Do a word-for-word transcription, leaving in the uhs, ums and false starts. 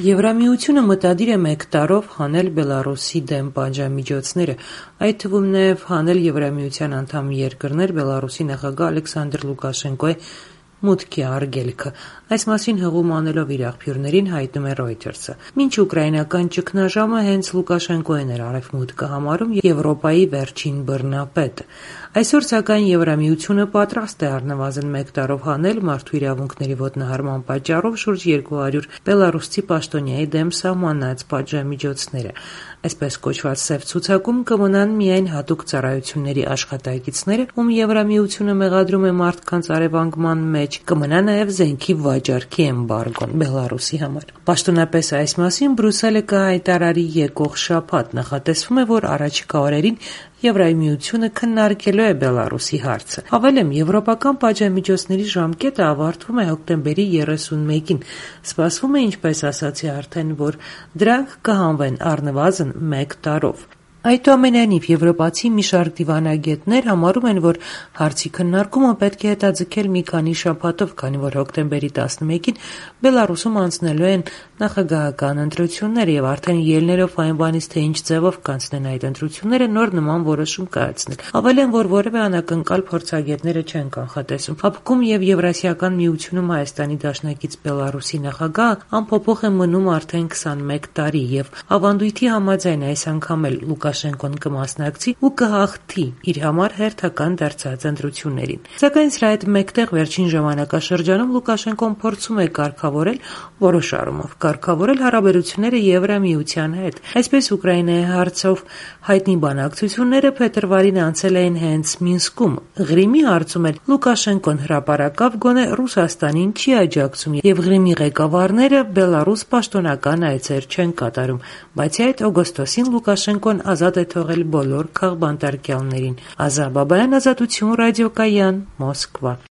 Եվրամիությունը մտադիր է մեկ տարով հանել Բելառուսի դեմ պատժամիջոցները, այդ թվում նաև հանել Եվրամիության անդամ երկրներ Բելառուսի նախագահ Ալեքսանդր Լուկաշենկոյի մուտքի արգելքը։ Այս մասին հղում անելով իր աղբյուրներին հայտնում է Reuters-ը։ Մինչ ուկրաինական ճգնաժամը հենց Լուկաշենկոն էր արևմուտքը համարում Եվրոպայի վերջին բռնապետը։ Այսօր սակայն Եվրամիությունը պատրաստ է առնվազն մեկ տարով հանել մարդու իրավունքների ոտնահարման պատճառով շուրջ երկու հարյուր բելառուսցի պաշտոնյայի դեմ սահմանած պատժամիջոցները։ Այսպես կոչված սև ցուցակում կմնան միայն հատուկ ծառայությունների աշխատակիցները, ում Եվրամիությունը մեղադրում է մարդկանց արևանգման մեջ, կմնա նաև զենքի վաճառքի էմբարգոն Բելառուսի համար։ Պաշտոնապես այս մասին Բրյուսելը կհայտարարի եկող շաբաթ։ Նախատեսվում է, որ առաջիկա օրերին Եվրամիությունը քննարկելու է Բելառուսի հարցը։ Հավելեմ, եվրոպական պատժամիջոցների ժամկետը ավարտվում է հոկտեմբերի երեսունմեկին։ Սպասվում է, ինչպես ասացի արդեն, որ դրանք կհանվեն առնվազն մեկ տարով։ Այնուամենայնիվ, եվրոպացի մի շարք դիվանագետներ համարում են, որ հարցի քննարկումը պետք է հետաձգել մի քանի շաբաթով, քանի որ հոկտեմբերի տասնմեկին Բելառուսում անցնելու են նախագահական ընտրություններ եւ արդեն ելնելով այն բանից, թե ինչ ձևով կանցնեն այդ ընտրությունները, նոր նման որոշում կայացնել։ Հավելեն, որ որևէ անակնկալ փորձագետները չեն կանխատեսում։ Հապկում եւ Եվրասիական միությունում Հայաստանի դաշնակից Բելառուսի նախագահը անփոփոխ է մնում արդեն քսանմեկ տարի եւ ավանդույթի համաձայն այս անգամ էլ Լուկաշենկոն կմասնակցի ու կհաղթի իր համար հերթական դարձած ընտրություններին։ Սակայն սրա հետ մեկտեղ վերջին ժամանակաշրջանում Լուկաշենկոն փորձում է կարգավորել որոշ առումով կարգավորել հարաբերությունները Եվրամիության հետ։ Այսպես Ուկրաինայի հարցով հայտնի բանակցությունները փետրվարին անցել էին հենց Մինսկում։ Ղրիմի հարցում էլ Լուկաշենկոն հրապարակավ գոնե Ռուսաստանին չի աջակցում եւ Ղրիմի ղեկավարները Բելառուս պաշտոնական այցեր չեն կատարում։ Բացի այդ, օգոստոսին Լուկաշենկոն ազատ է թողել բոլոր քաղբանտարկյալներին։ Ազա Բաբայան, Ազատություն, Ռադիոկայան, Մոսկվա։